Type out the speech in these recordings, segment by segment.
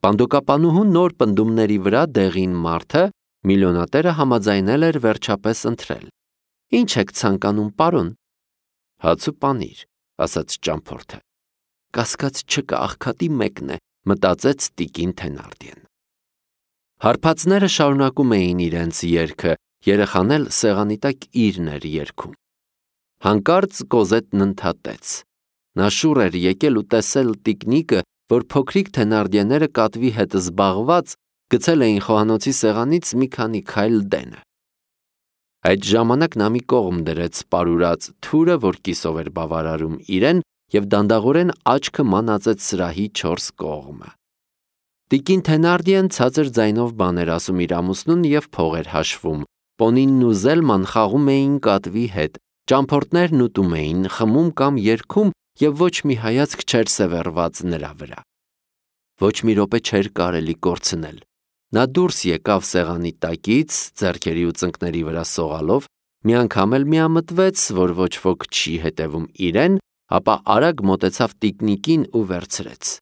Պանդոկապանուհուն նոր պնդումների վրա դեղին մարդը միլիոնատերը համաձայնել էր վերջապես ընտրել։ Ինչ եք ցանկանում, պարոն։ Հաց ու պանիր, ասաց ճամփորդը։ Կասկած չկա, աղքատի մեկն է, մտածեց տիկին Թենարդիեն։ Հարբածները շարունակում էին իրենց երգը, երեխան էլ սեղանի տակ իրն էր երգում։ Հանկարծ Կոզետն ընդհատեց։ Նա շուռ էր եկել ու տեսել տիկնիկը, որ փոքրիկ Թենարդիեները կատվի հետ զբաղված գցել էին խոհանոցի սեղանից մի քանի քայլ դենը։ Այդ ժամանակ նա մի կողմ դրեց պարուրած թուրը, որ կիսով էր բավարարում իրեն, և դանդաղորեն աչքը մանածեց սրահի 4 կողմը։ Տիկին Թենարդիեն ցածր ձայնով բաներ ասում իր ամուսնուն և փող էր հաշվում։ Պոնինն ու Զելման խաղում էին կատվի հետ, ճամփորդներն ուտում էին, խմում կամ երգում, և ոչ մի հայացք չէր սևեռված նրա վրա։ Ոչ մի րոպե չէր կարելի կորցնել։ Նա դուրս եկավ սեղանի տակից, ձեռքերի ու ծնկների վրա սողալով, մի անգամ էլ միամտվեց, որ ոչ ոք չի հետևում իրեն, ապա արագ մոտեցավ տիկնիկին ու վերցրեց։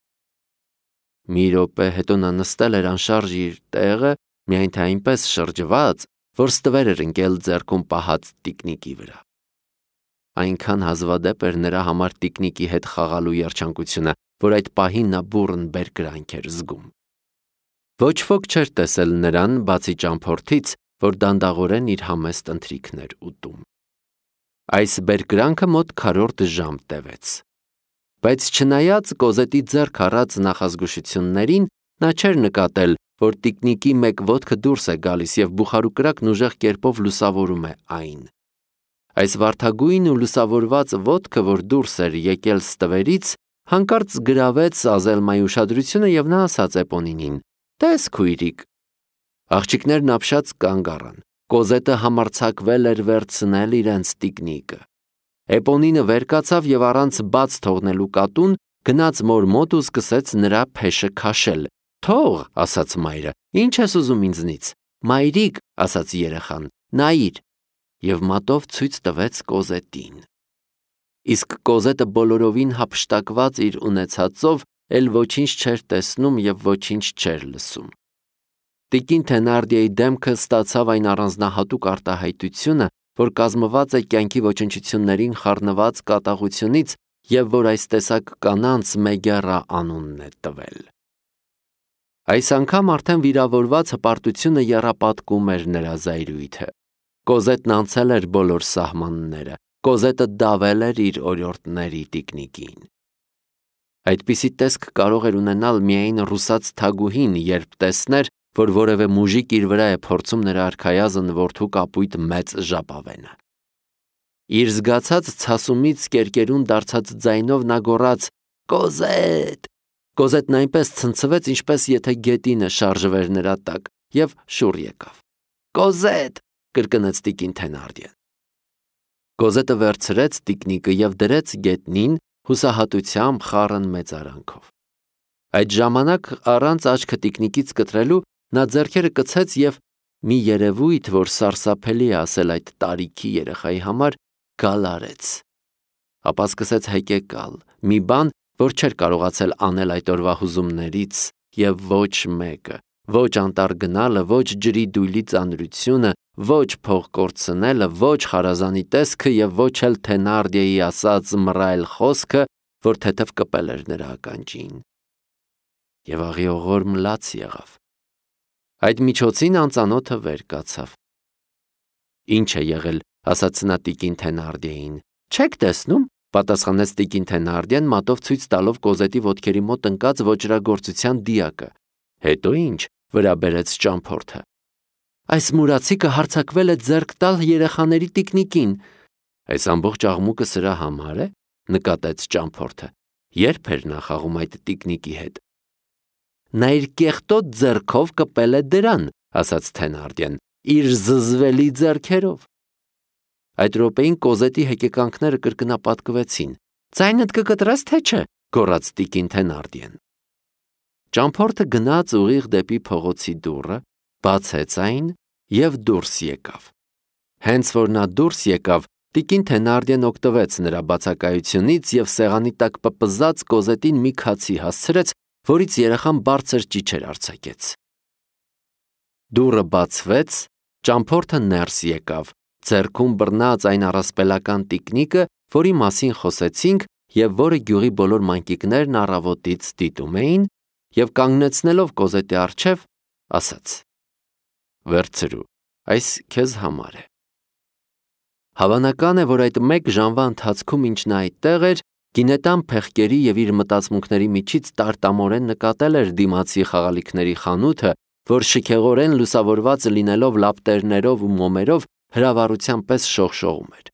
Մի րոպե հետո նա նստել էր անշարժ իր տեղը, միայն թե այնպես շրջված, որ ստվեր էր ընկել ձեռքում պահած տիկնիկի վրա։ Այնքան հազվադեպ էր նրա համար տիկնիկի հետ խաղալու երջանկությունը, որ այդ պահին նա բուռն բերկրանք էր զգում։ Ոչ ոք չէր տեսել նրան, բացի ճամփորդից, որ դանդաղորեն իր համեստ ընթրիքն էր ուտում։ Այս բերկրանքը մոտ քառորդ ժամ տևեց։ Բայց չնայած Կոզետի ձեռք առած նախազգուշություններին, նա չէր նկատել, որ տիկնիկի մեկ ոտքը դուրս է գալիս և բուխարուկրակն ուժեղ կերպով լուսավորում է այն։ Այս վարդագույն ու լուսավորված ոտքը, որ դուրս էր եկել ստվերից, հանկարծ գրավեց Ազելմայի ուշադրությունը և նա ասաց Էպոնինին. «Տես քույրիկ»։ Աղջիկներն ապշած կանգ առան։ Կոզետը համարձակվել էր վերցնել իրենց տիկնիկը։ Էպոնինը վեր կացավ և առանց բաց թողնելու կատուն գնաց մոր մոտ ու սկսեց նրա փեշը քաշել։ «Թող», ասաց մայրը, «ինչ ես ուզում ինձնից»։ «Մայրիկ», ասաց երեխան, «նայիր», և մատով ցույց տվեց Կոզետին։ Իսկ Կոզետը բոլորովին հափշտակված իր ունեցածով էլ ոչինչ չէր տեսնում և ոչինչ չէր լսում։ Տիկին Թենարդիեի դեմքը ստացավ այն առանձնահատուկ արտահայտությունը, որ կազմված է կյանքի ոչնչություններին խառնված կատաղությունից և որ այս տեսակ կանանց Մեգերա անունն է տվել։ Այս անգամ արդեն վիրավորված հպարտությունը եռապատկում էր նրա զայրույթը։ Կոզետն անցել էր բոլոր սահմանները, Կոզետը դավել էր իր օրիորդների տիկնիկին։ Այդպիսի տեսք կարող էր ունենալ միայն ռուսաց թագուհին, երբ տեսներ, որ որևէ մուժիկ իր վրա է փորձում նրա արքայազն որդու կապույտ մեծ ժապավենը։ Իր զգացած ցասումից կերկերուն դարձած ձայնով նա գոռաց. «Կոզետ»։ Կոզետն այնպես ցնցվեց, ինչպես եթե գետինը շարժվեր նրա տակ, և շուռ եկավ։ «Կոզետ», կրկնեց տիկին Թենարդիեն։ Կոզետը վերցրեց տիկնիկը և դրեց գետնին, հուսահատությամբ խառն մեծարանքով։ Այդ ժամանակ առանց աչքը տիկնիկից կտրելու նա ձեռքերը կցեց և մի երևույթ, որ սարսափելի է ասել այդ տարիքի երեխայի համար, գալարեց։ Ապա սկսեց հեկեկալ, մի բան, որ չէր կարողացել անել այդ օրվա հուզումներից, և ոչ մեկը, ոչ անտառ գնալը, ոչ ջրի դույլի ծանրությունը, ոչ փող կորցնելը, ոչ խարազանի տեսքը և ոչ էլ Թենարդիեի ասած մռայլ խոսքը, որ թեթև կպել էր նրա ականջին։ Եվ աղիողորմ լաց եղավ։ Այդ միջոցին անծանոթը վեր կացավ։ «Ինչ է եղել», ասաց նա տիկին Թենարդիեին։ «Չեք տեսնում», պատասխանեց տիկին Թենարդիեն, մատով ցույց տալով Կոզետի ոտքերի մոտ ընկած ոճրագործության դիակը։ «Հետո ինչ», վրա բերեց ճամփորդը։ «Այս մուրացիկը հարձակվել է ձեռք տալ երեխաների տիկնիկին»։ «Այս ամբողջ աղմուկը սրա համար է», նկատեց ճամփորդը։ «Ե՞րբ էր նա խաղում այդ տիկնիկի հետ»։ «Նա իր կեղտոտ ձեռքով կպել է դրան», ասաց Թենարդիեն, «իր զզվելի ձեռքերով»։ Այդ րոպեին Կոզետի հեկեկանքները կրկնապատկվեցին։ «Ձայնդ կկտրես, թե չէ», գոռաց տիկին Թենարդիեն։ Ճամփորդը գնաց ուղիղ դեպի փողոցի դուռը, բացեց այն և դուրս եկավ։ Հենց որ նա դուրս եկավ, տիկին Թենարդիեն օգտվեց նրա բացակայությունից և սեղանի տակ պպզած Կոզետին մի քացի հասցրեց, որից երեխան բարձր ճիչեր արձակեց։ Դուռը բացվեց, ճամփորդը ներս եկավ, ձեռքում բռնած այն առասպելական տիկնիկը, որի մասին խոսեցինք և որը գյուղի բոլոր մանկիկներն առավոտից դիտում էին, և կանգնեցնելով Կոզետի առջև, ասաց. «Վերցրու, այս քեզ համար է»։ Հավանական է, որ այդ մեկ ժամվա ընթացքում, ինչ նա այդտեղ էր, գինետան փեղկերի և իր մտածմունքների միջից տարտամորեն նկատել էր դիմացի խաղալիքների խանութը, որ շքեղորեն լուսավորված լինելով լապտերներով ու մոմերով հրավառության պես շողշողում էր։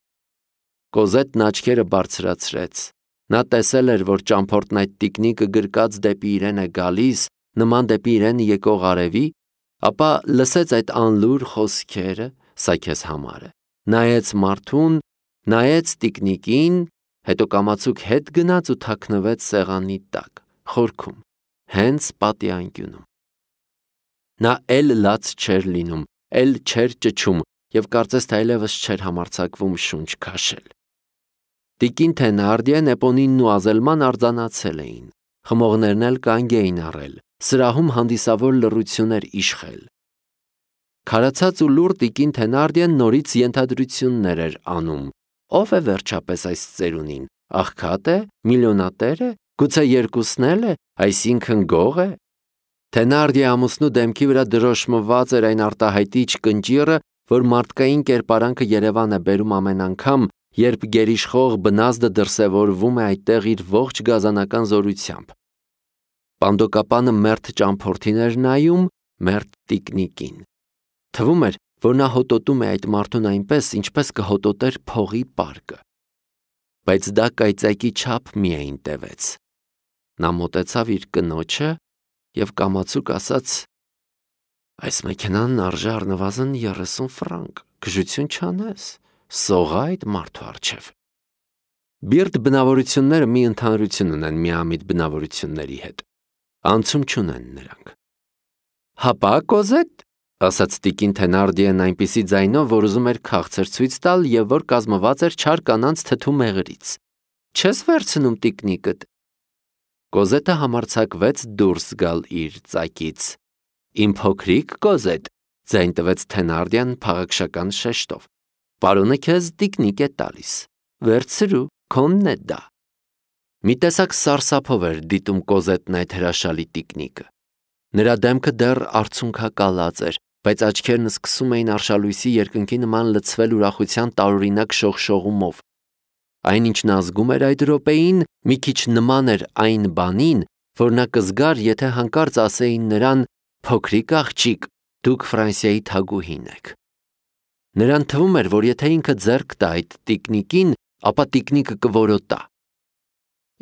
Կոզետն աչքերը բարձրացրեց։ Նա տեսել էր, որ ճամփորդն այդ տիկնիկը գրկած դեպի իրեն է գալիս, նման դեպի իրեն եկող արևի, ապա լսեց այդ անլուր խոսքերը, սա քեզ համար է, նայեց մարդուն, նայեց տիկնիկին, հետո կամացուկ հետ գնաց ու թաքնվեց սեղանի տակ, խորքում, հենց պատի անկյունում։ Նա էլ լաց չէր լինում, էլ չէր ճչում և կարծես թե այլևս չէր համարձակվում շունչ քաշել։ Տիկին Թենարդիեն, Էպոնինն ու Ազելման արձանացել էին, խմողներն էլ կանգ էին առել, սրահում հանդիսավոր լռություն էր իշխել։ Քարացած ու լուռ տիկին Թենարդիեն նորից ենթադրություններ էր անում. ով է վերջապես այս ծերունին, աղքատ է, միլիոնատեր է, գուցե երկուսն էլ է, այսինքն գող է։ Թենարդիե ամուսնու դեմքի վրա դրոշմված էր այն արտահայտիչ կնճիռը, որ մարդկային կերպարանքը Երևան է բերում ամեն անգամ, երբ գերիշխող բնազդը դրսևորվում է այդտեղ իր ողջ գազանական զորությամբ։ Պանդոկապանը մերթ ճամփորդին էր նայում, մերթ տիկնիկին։ Թվում էր, որ նա հոտոտում է այդ մարդուն այնպես, ինչպես կհոտոտեր փողի պարկը։ Բայց դա կայծակի չափ միայն տևեց։ Նա մոտեցավ իր կնոջը և կամացուկ ասաց. «Այս մեքենան արժե առնվազն 30 ֆրանկ, գժություն չանես, սողա այդ մարդու առջև»։ Բիրտ բնավորությունները մի ընդհանրություն ունեն միամիտ բնավորությունների հետ. անցում չունեն նրանք։ «Հապա, Կոզետ», ասաց տիկին Թենարդիեն այնպիսի ձայնով, որ ուզում էր քաղցր ցույց տալ և որ կազմված էր չար կանանց թթու մեղրից, չես վերցնում տիկնիկդ։ Կոզետը համարձակվեց դուրս գալ իր ծակից։ «Իմ փոքրիկ Կոզետ», ձայն տվեց Թենարդիան փաղաքշական շեշտով, «պարոնը քեզ տիկնիկ է տալիս, վերցրու, քոնն է դա»։ Մի տեսակ սարսափով էր դիտում Կոզետն այդ հրաշալի տիկնիկը։ Նրա դեմքը դեռ արցունքակալած էր, բայց աչքերն սկսում էին արշալույսի երկնքի նման լցվել ուրախության տարօրինակ շողշողումով։ Այն, ինչն ազգում էր այդ րոպեին, մի քիչ նման էր այն բանին, որ նա կզգար, եթե հանկարծ ասեին նրան. «Փոքրիկ աղջիկ, դուք Ֆրանսիայի թագուհին եք»։ Նրան թվում էր, որ եթե ինքը ձեռք տա այդ տիկնիկին, ապա տիկնիկը կորոտա։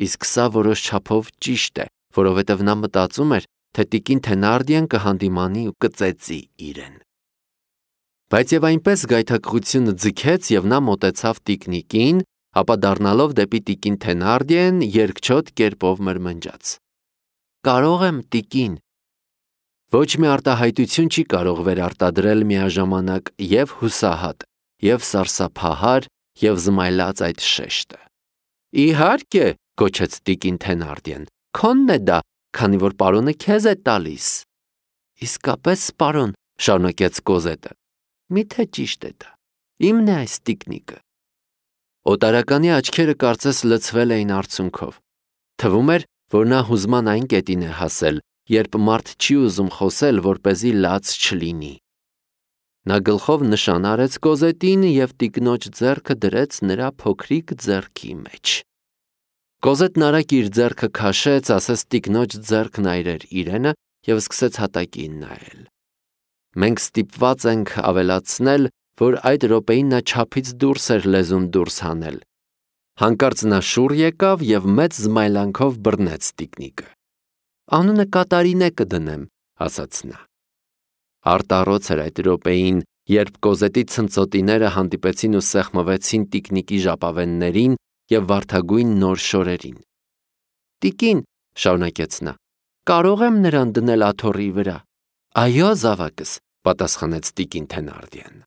Իսկ սա որոշ չափով ճիշտ է, որովհետև նա մտածում էր, թե տիկին Թենարդիեն կհանդիմանի ու կծեծի իրեն։ Բայց և այնպես գայթակղությունը ձգեց, և նա մոտեցավ տիկնիկին, ապա դառնալով դեպի տիկին Թենարդիեն, երկչոտ կերպով մրմնջաց. «Կարող եմ, տիկին»։ Ոչ մի արտահայտություն չի կարող վերարտադրել միաժամանակ և հուսահատ, և սարսափահար, և զմայլած այդ շեշտը։ «Իհարկե», գոչեց տիկին Թենարդիեն, «քոնն է դա, քանի որ պարոնը քեզ է տալիս»։ «Իսկապես, պարոն», շարունակեց Կոզետը, «միթե ճիշտ է դա, իմն է այս տիկնիկը»։ Օտարականի աչքերը կարծես լցվել էին արցունքով։ Թվում էր, որ նա հուզման այն կետին է հասել, երբ մարդ չի ուզում խոսել, որպեսզի լաց չլինի։ Նա գլխով նշան արեց Կոզետին և տիկնոջ ձեռքը դրեց նրա փոքրիկ ձեռքի մեջ։ Կոզետն արագ իր ձեռքը քաշեց, ասես տիկնոջ ձեռքն այրեր իրենը և սկսեց հատակին նայել։ Մենք ստիպված ենք ավելացնել, որ այդ րոպեին նա չափից դուրս էր լեզուն դուրս հանել։ Հանկարծ նա շուռ եկավ և մեծ զմայլանքով բռնեց տիկնիկը։ «Անունը Կատարինե կդնեմ», ասաց նա։ Արտառոց էր այդ րոպեին, երբ Կոզետի ցնծոտիները հանդիպեցին ու սեղմվեցին տիկնիկի ժապավեններին և վարդագույն նոր շորերին։ «Տիկին», շարունակեց նա, «կարող եմ նրան դնել աթոռի վրա»։ «Այո, զավակս», պատասխանեց տիկին Թենարդիեն։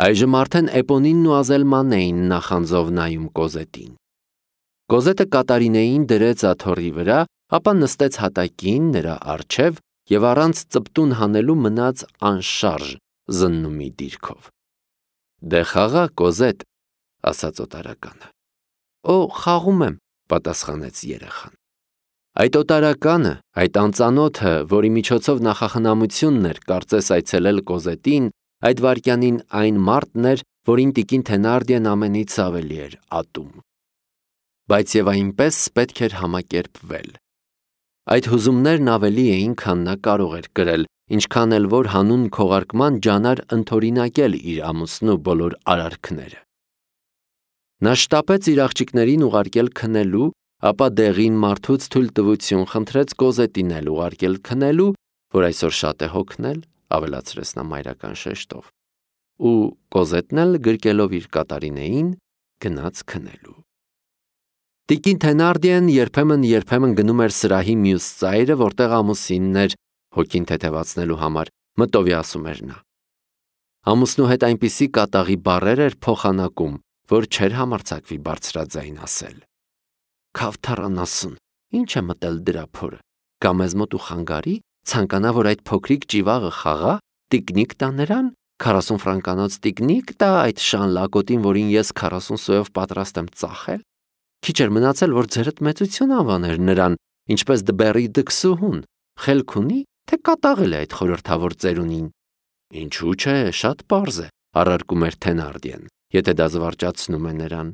Այժմ արդեն Էպոնինն ու Ազելմանն էին նախանձով նայում Կոզետին։ Կոզետը Կատարինեին դրեց աթոռի վրա ապա նստեց հատակին նրա առջև և առանց ծպտուն հանելու մնաց անշարժ զննումի դիրքով։ «Դե խաղա, Կոզետ», ասաց օտարականը։ «Օ, խաղում եմ», պատասխանեց երեխան։ Այդ օտարականը, այդ անծանոթը, որի միջոցով նախախնամությունն էր կարծես այցելել Կոզետին, այդ վայրկյանին այն մարդն էր, որին տիկին Թենարդիեն ամենից ավելի էր ատում։ Բայց և այնպես պետք էր համակերպվել։ Այդ հուզումներն ավելի էին, քան նա կարող էր կրել, ինչքան էլ որ հանուն քողարկման ջանար ընդօրինակել իր ամուսնու բոլոր արարքները։ Նա շտապեց իր աղջիկներին ուղարկել քնելու, ապա դեղին մարդուց թույլտվություն խնդրեց Կոզետին էլ ուղարկել քնելու, որ այսօր շատ է հոգնել, ավելացրեց նա մայրական շեշտով, ու Կոզետն էլ գրկելով իր կատարինեին գնաց քնելու։ Տիկին Թենարդիեն երբեմն գնում էր սրահի մյուս ծայրը, որտեղ ամուսինն էր, հոգին թեթևացնելու համար, մտովի ասում էր նա։ Ամուսնու հետ այնպիսի կատաղի բառեր էր փոխանակում, որ չէր համարձակվի բարձրաձայն ասել։ Քավթառանասուն, ինչ է մտել դրա փորը, կամ մեզ մոտ ու խանգարի, ցանկանա, որ այդ փոքրիկ ճիվաղը խաղա, տիկնիկ տա նրան, 40 ֆրանկանոց տիկնիկ տա այդ շան լակոտին, որին ես 40 սոյով պատրաստ եմ ծախել։ Քիչ էր մնացել, որ ձերդ մեծություն անվաներ նրան, ինչպես դբերի դքսուհուն, խելք ունի, թե կատաղել է այդ խորհրդավոր ծերունին։ Ինչու՞ չէ, շատ պարզ է, առարկում էր Թենարդիեն, եթե դա զվարճացնում է նրան։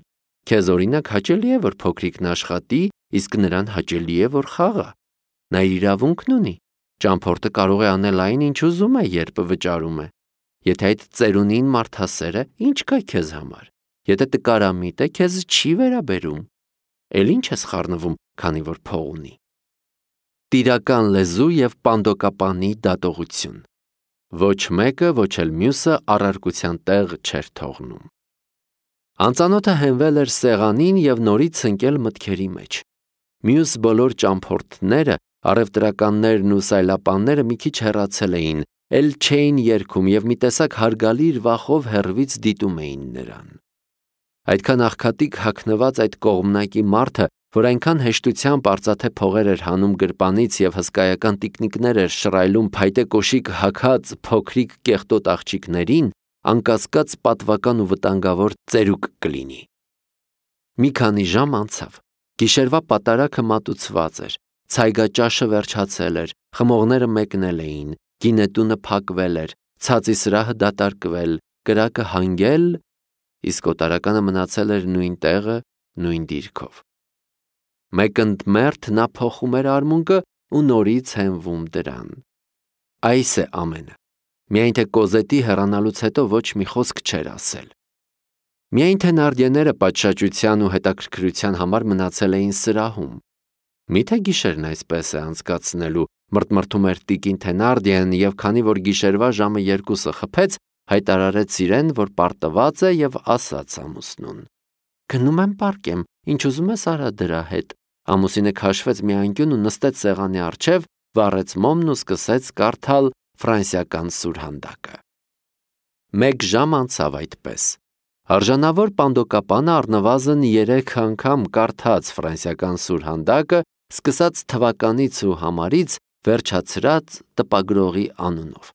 Քեզ օրինակ հաճելի է, որ փոքրիկն աշխատի, իսկ նրան հաճելի է, որ խաղա։ Նա իր իրավունքն ունի։ Ճամփորդը կարող է անել այն, ինչ ուզում է, երբ վճարում է։ Եթե այդ ծերունին մարդասեր է, ինչ կա քեզ համար։ Եթե տկարամիտ է, քեզ չի վերաբերում։ Էլ ինչ ես խառնվում, քանի որ փող ունի։ Տիրական լեզու և պանդոկապանի դատողություն։ Ոչ մեկը, ոչ էլ մյուսը առարկության տեղ չէր թողնում։ Անծանոթը հենվել էր սեղանին և նորից ընկել մտքերի մեջ։ Մյուս բոլոր ճամփորդները, առևտրականներն ու սայլապանները մի քիչ հեռացել էին, էլ չէին երգում և մի տեսակ հարգալի վախով հեռվից դիտում էին նրան։ Այդքան աղքատիկ հագնված այդ կողմնակի մարդը, որ այնքան հեշտությամբ արծաթե փողեր էր հանում գրպանից և հսկայական տիկնիկներ էր շռայլում փայտե կոշիկ հագած փոքրիկ կեղտոտ աղջիկներին, անկասկած պատվական ու վտանգավոր ծերուկ կլինի։ Մի քանի ժամ անցավ։ Գիշերվա պատարագը մատուցված էր, ցայգաճաշը վերջացել էր, խմողները մեկնել էին, գինետունը փակվել էր, ցածի սրահը դատարկվել, կրակը հանգել, իսկ օտարականը մնացել էր նույն տեղը, նույն դիրքով։ Մեկ ընդ մերթ նա փոխում էր արմունկը ու նորից հենվում դրան։ Այս է ամենը։ Միայն թե Կոզետի հեռանալուց հետո ոչ մի խոսք չէր ասել։ Միայն թե նարդիեները պատշաճության ու հետաքրքրության համար մնացել էին սրահում։ Միթե գիշերն այսպես է անցկացնելու, մրթմրթում էր տիկին Թենարդիեն և քանի որ գիշերվա ժամը 2-ը խփեց, հայտարարեց իրեն, որ պարտված է և ասաց ամուսնուն. Գնում եմ պառկեմ, ինչ ուզում ես արա դրա հետ։ Ամուսինը քաշվեց մի անկյուն ու նստեց սեղանի առջև, վառեց մոմն ու սկսեց կարդալ ֆրանսիական սուրհանդակը։ Մեկ ժամ անցավ այդպես։ Արժանավոր պանդոկապանը առնվազն 3 անգամ կարդաց ֆրանսիական սուրհանդակը, սկսած թվականից ու համարից, վերջացրած տպագրողի անունով։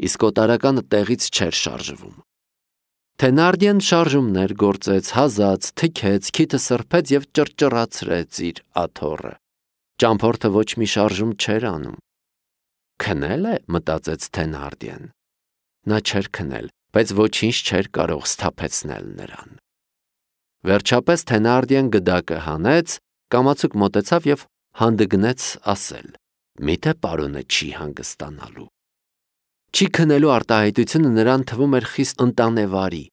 Իսկ օտարականը տեղից չէր շարժվում։ Թենարդիեն շարժումներ գործեց, հազաց, թքեց, քիթը սրբեց և ճռճռացրեց իր աթոռը։ Ճամփորդը ոչ մի շարժում չէր անում։ Քնել է, մտածեց Թենարդիեն։ Նա չէր քնել, բայց ոչինչ չէր կարող սթափեցնել նրան։ Վերջապես Թենարդիեն գդակը հանեց, կամացուկ մոտեցավ և հանդգնեց ասել. Միթե պարոնը չի հանգստանալու։ Չի քնելու արտահայտությունը նրան թվում էր խիստ ընտանեվարի։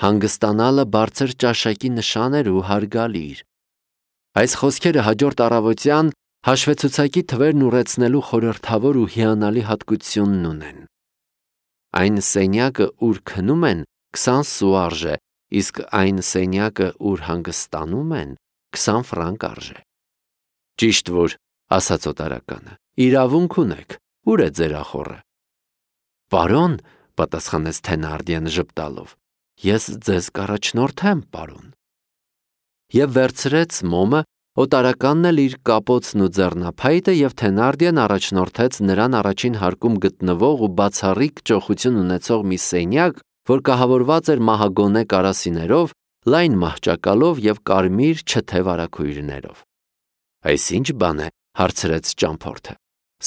Հանգստանալը բարձր ճաշակի նշան էր ու հարգալիր։ Այս խոսքերը հաջորդ առավոտյան հաշվեցուցակի թվերն ուռեցնելու խորհրդավոր ու հիանալի հատկությունն ունեն։ Այն սենյակը, ուր քնում են, 20 սու արժե, իսկ այն սենյակը, ուր հանգստանում են, 20 ֆրանկ արժե։ Ճիշտ որ, ասաց օտարականը, իրավունք ունեք, ուր է ձեր ախոռը։ Պարոն, պատասխանեց Թենարդիեն ժպտալով, ես ձեզ կառաջնորդեմ, պարոն։ Եվ վերցրեց մոմը, Օտարականն էլ իր կապոցն ու ձեռնափայտը եւ Թենարդիեն առաջնորդեց նրան առաջին հարկում գտնվող ու բացառիկ ճոխություն ունեցող մի սենյակ, որ կահավորված էր մահագոնե կարասիներով, լայն մահճակալով եւ կարմիր չթե վարագույրներով։ «Այս ինչ բան է», հարցրեց ճամփորդը։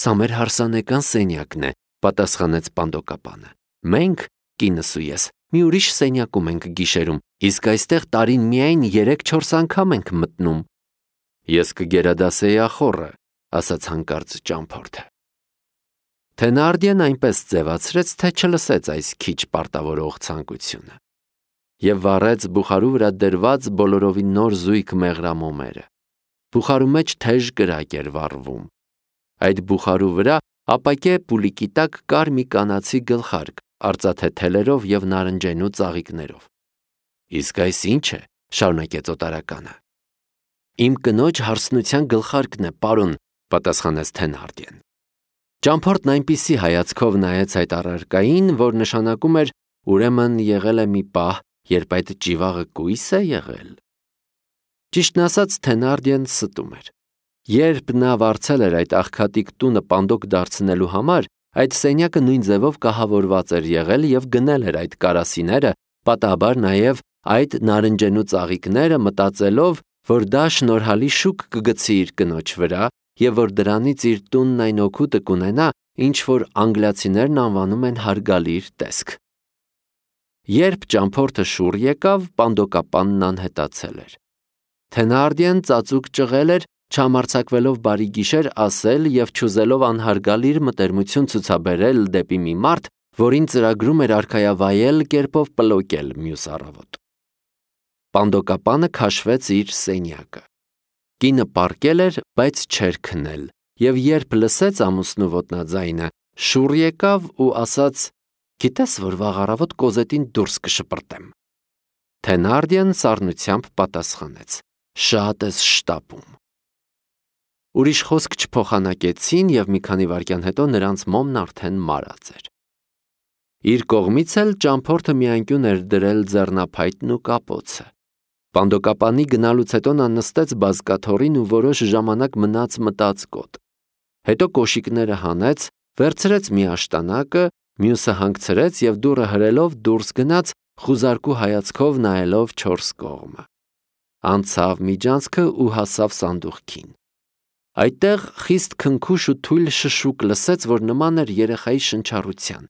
«Սա մեր հարսանեկան սենյակն է», պատասխանեց պանդոկապանը։ «Մենք, կինս ու ես, մի ուրիշ սենյակում ենք գիշերում, իսկ այստեղ տարին միայն 3-4 անգամ ենք մտնում»։ «Ես կգերադասեի ախոռը», ասաց հանկարծ ճամփորդը։ Թենարդիեն այնպես ձևացրեց, թե չլսեց այս քիչ պարտավորող ցանկությունը եւ վառեց բուխարու վրա դրված բոլորովին նոր զույգ մեղրամոմերը։ Բուխարու մեջ թեժ կրակ էր վառվում։ Այդ բուխարու վրա ապակե պուլիկի տակ կար մի կանացի գլխարկ, արծաթե թելերով եւ նարնջենու ծաղիկներով։ «Իսկ այս ինչ է», շարունակեց օտարականը։ «Իմ կնոջ հարսնության գլխարկն է, պարոն», պատասխանեց Թենարդիեն։ Ճամփորդն այնպիսի հայացքով նայեց այդ առարկային, որ նշանակում էր ուրեմն եղել է մի պահ, երբ այդ ճիվաղը կույս է եղել։ Ճիշտն ասած, Թենարդիեն ստում էր։ Երբ նա վարձել էր այդ աղքատիկ տունը պանդոկ դարձնելու համար, այդ սենյակը նույն ձևով կահավորված էր եղել եւ գնել էր այդ կարասիները, պատահաբար նաեւ այդ նարնջենու ծաղիկները, մտածելով, որ դա շնորհալի շուկ կգցի իր կնոջ վրա եւ որ դրանից իր տունն այն օգուտը կունենա, ինչ որ անգլիացիներն անվանում են հարգալիր տեսք։ Երբ ճամփորդը շուռ եկավ, պանդոկապանն անհետացել էր։ Թենարդիեն ծածուկ ճղել էր, չհամարձակվելով բարի գիշեր ասել եւ չուզելով անհարգալիր մտերմություն ցուցաբերել դեպի մի մարդ, որին ծրագրում էր արքայավայել կերպով պլոկել մյուս առավոտ։ Պանդոկապանը քաշվեց իր սենյակը։ Կինը պառկել էր, բայց չէր քնել, եւ երբ լսեց ամուսնու ոտնաձայնը, շուռ եկավ ու ասաց. «Գիտես, որ վաղ առավոտ Կոզետին դուրս կշպրտեմ»։ Թենարդիեն սառնությամբ պատասխանեց. «Շատ ես շտապում»։ Ուրիշ խոսք չփոխանակեցին եւ մի քանի վայրկյան հետո նրանց մոմն արդեն մարած էր։ Իր կողմից էլ ճամփորդը մի անկյուն էր դրել ձեռնափայտն ու կապոցը։ Պանդոկապանի գնալուց հետո նա նստեց բազկաթոռին ու որոշ ժամանակ մնաց մտածկոտ։ Հետո կոշիկները հանեց, վերցրեց մի աշտանակը, մյուսը հանգցրեց եւ դուռը հրելով դուրս գնաց, խուզարկու հայացքով նայելով չորս կողմը։ Անցավ միջանցքը ու հասավ սանդուղքին։ Այդտեղ խիստ քնքուշ ու թույլ շշուկ լսեց, որ նման էր երեխայի շնչառության։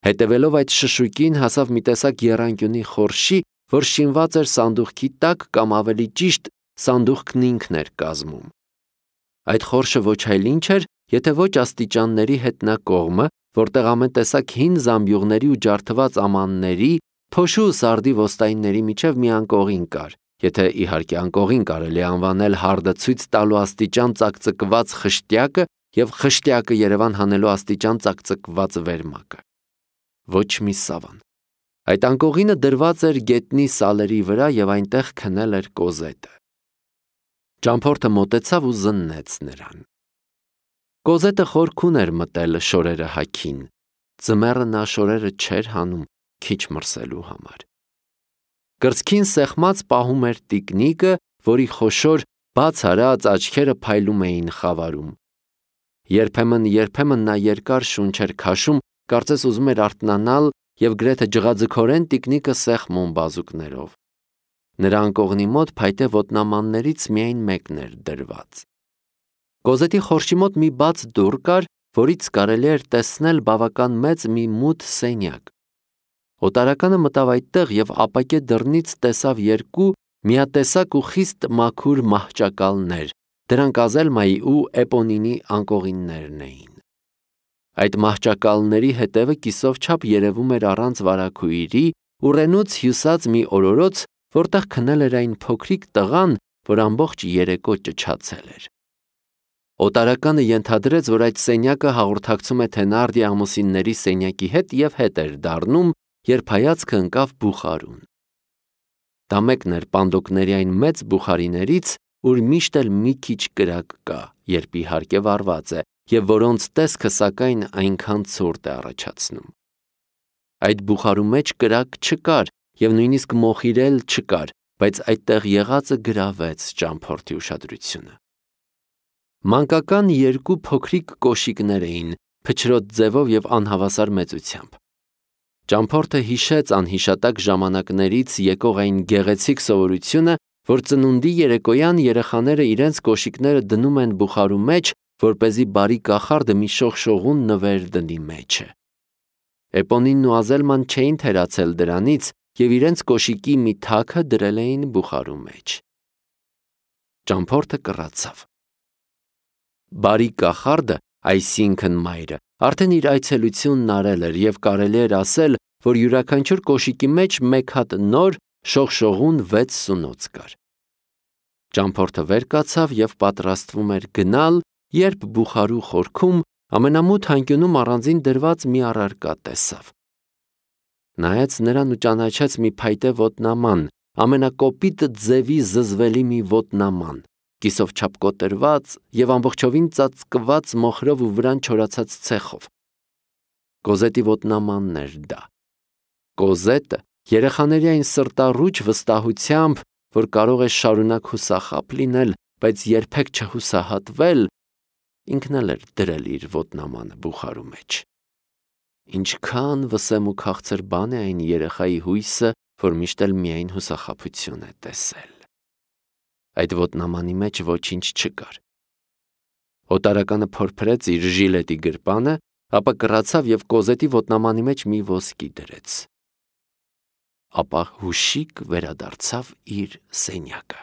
Հետևելով այդ շշուկին հասավ մի տեսակ եռանկյունի խորշի, որ շինված էր սանդուղքի տակ կամ ավելի ճիշտ սանդուղքն ինքն էր կազմում։ Այդ խորշը ոչ այլ ինչ էր, եթե ոչ աստիճանների հետնակողմը, որտեղ ամեն տեսակ հին զամբյուղների ու ջարդված ամանների, փոշու ու սարդի ոստայինների միջև մի անկողին կար, եթե իհարկե անկողին կարելի անվանել հարդը ցույց տալու աստիճան ծակծկված խշտյակը եւ խշտյակը Երևան հանելու աստիճան ծակծկված վերմակը։ Ոչ մի սավան։ Այդ անկողինը դրված էր գետնի սալերի վրա եւ այնտեղ քնել էր Կոզետը։ Ճամփորդը մոտեցավ ու զննեց նրան։ Կոզետը խորքուն էր մտել շորերը հագին։ Ձմեռը նա շորերը չէր հանում քիչ մրսելու համար։ Կրծքին սեղմած պահում էր տիկնիկը, որի խոշոր բաց արած աչքերը փայլում էին խավարում։ Երբեմն նա երկար շունչ էր քաշում, կարծես ուզում էր արթնանալ եւ գրեթե ջղաձգորեն տիկնիկը սեղմում բազուկներով։ Նրա անկողնի մոտ փայտե ոտնամաններից միայն մեկն էր դրված։ Կոզետի խորշի մոտ մի բաց դուռ կար, որից կարելի էր տեսնել բավական մեծ մի մութ սենյակ։ Օտարականը մտավ այդտեղ եւ ապակե դռնից տեսավ երկու միատեսակ ու խիստ մաքուր մահճակալներ, դրանք Ազելմայի ու Էպոնինի անկողիններն էին։ Այդ մահճակալների հետևը կիսով չափ երևում էր առանց վարագույրի, ուռենուց հյուսած մի օրորոց, որտեղ քնել էր այն փոքրիկ տղան, որ ամբողջ երեկո ճչացել էր։ Օտարականը ենթադրեց, որ այդ սենյակը հաղորդակցում է Թենարդի ամուսինների սենյակի հետ եւ հետ էր դառնում, երբ հայացքը ընկավ բուխարուն։ Դա մեկն էր պանդոկների այն մեծ բուխարիներից, ուր միշտ էլ մի քիչ կրակ կա, երբ իհարկե վառված է, եւ որոնց տեսքը սակայն այնքան ցուրտ է առաջացնում։ Այդ բուխարու մեջ կրակ չկար եւ նույնիսկ մոխիրել չկար, բայց այդտեղ եղածը գրավեց ճամփորդի ուշադրությունը։ Մանկական երկու փոքրիկ կոշիկներ էին, փչրոտ ձևով և անհավասար մեծությամբ։ Ճամփորդը հիշեց անհիշատակ ժամանակներից եկող այն գեղեցիկ սովորությունը, որ ծնունդի երեկոյան երեխաները իրենց կոշիկները դնում են բուխարու մեջ, որպեսզի բարի կախարդը մի շողշողուն նվեր դնի մեջը։ Էպոնինն ու Ազելման չէին թերացել դրանից և իրենց կոշիկի մի թաքը դրել էին բուխարու մեջ։ Ճամփորդը կռացավ։ Բարի կախարդը, այսինքն մայրը, արդեն իր այցելությունն արել էր և կարելի էր ասել, որ յուրաքանչյուր կոշիկի մեջ մեկ հատ նոր շողշողուն 6 սունոց կար։ Ճամփորդը վեր կացավ և պատրաստվում էր գնալ, երբ բուխարու խորքում ամենամութ անկյունում առանձին դրված մի առարկա տեսավ։ Նայեց նրան ու ճանաչեց մի փայտե ոտնաման, ամենակոպիտ ձևի զզվելի մի ոտնաման, կիսով չափ կոտրված և ամբողջովին ծածկված մոխրով ու վրան չորացած ցեխով։ Կոզետի ոտնամանն էր դա։ Կոզետը երեխաների այն սրտառուչ վստահությամբ, որ կարող է շարունակ հուսախաբ լինել, բայց երբեք չհուսահատվել, ինքն էլ էր դրել իր ոտնամանը բուխարու մեջ։ Ինչքան վսեմ ու քաղցր բան է այն երեխայի հույսը, որ միշտ էլ միայն հուսախաբություն է տեսել։ Այդ ոտնամանի մեջ ոչինչ չկար։ Օտարականը փորփրեց իր ժիլետի գրպանը, ապա կռացավ և Կոզետի ոտնամանի մեջ մի ոսկի դրեց։ Ապա հուշիկ վերադարձավ իր սենյակը։